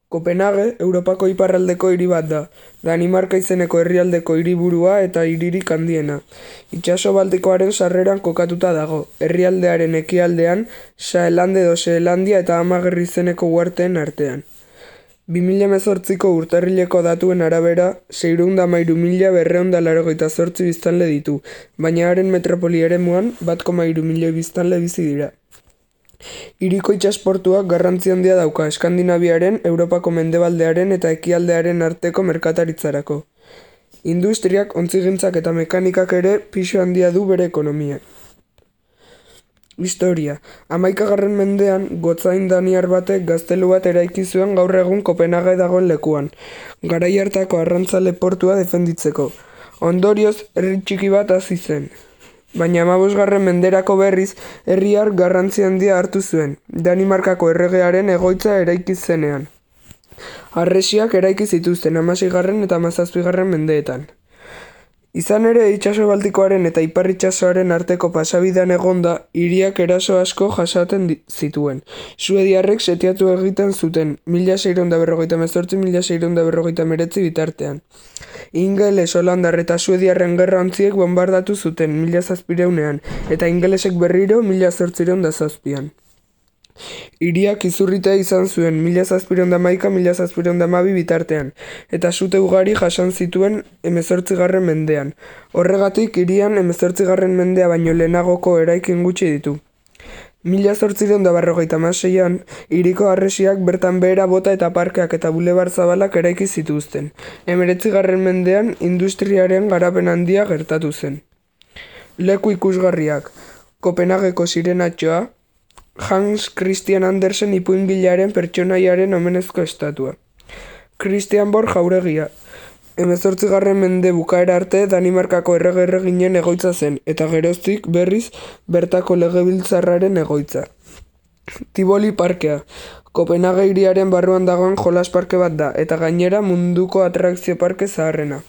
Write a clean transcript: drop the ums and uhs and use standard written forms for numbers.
Kopenhague, Europako iparraldeko hiri bat da, Danimarka izeneko herrialdeko hiriburua eta hiririk handiena. Itsaso Baltikoaren sarreran kokatuta dago, herrialdearen ekialdean, Saelande edo Seelandia eta Amager izeneko uharteen artean. 2018ko urtarrileko datuen arabera, 613.288 biztanle ditu, baina haren metropoli eremuan 1,3 milioi biztanle bizi dira. Hiriko itsasportuak garrantzi handia dauka Eskandinaviaren, Europako mendebaldearen eta ekialdearen arteko merkataritzarako. Industriak, ontzigintzak eta mekanikak ere pisu handia du bere ekonomia. Historia. 11. mendean, gotzain daniar batek gaztelu bat eraiki zuen gaur egun Kopenhague dagoen lekuan, garai hartako arrantzale portua defenditzeko. Ondorioz, herri txiki bat hasi zen. Baina 15. menderako berriz, herriar garrantzi handia hartu zuen, Danimarkako erregearen egoitza eraiki zenean. Harresiak eraiki zituzten 16. eta 17. mendeetan. Izan ere, itsaso Baltikoaren eta ipar itsasoaren arteko pasabidean egonda, hiriak eraso asko jasaten zituen. Suediarrek setiatu egiten zuten, 1648-1649 bitartean. Ingeles, holandar eta suediarren gerra ontziek bombardatu zuten 1700ean, eta ingelesek berriro 1807an. Hiriak izurritea izan zuen 1711-1712 bitartean, eta sute ugari jasan zituen 18. mendean. Horregatik, hirian 18. mendea baino lehenagoko eraikin gutxi ditu. 1856an, hiriko harresiak bertan behera bota eta parkeak eta bulebar zabalak eraiki zituzten. 19. mendean, industriaren garapen handia gertatu zen. Leku ikusgarriak. Kopenhageko sirenatxoa, Hans Christian Andersen ipuingilearen pertsonaiaren omenezko estatua. Christian Borg jauregia. 18. mende bukaera arte Danimarkako errege-erreginen egoitza zen, eta geroztik berriz bertako legebiltzarraren egoitza. Tivoli parkea. Kopenhague hiriaren barruan dagoen jolas parke bat da, eta gainera munduko atrakzio parke zaharrena.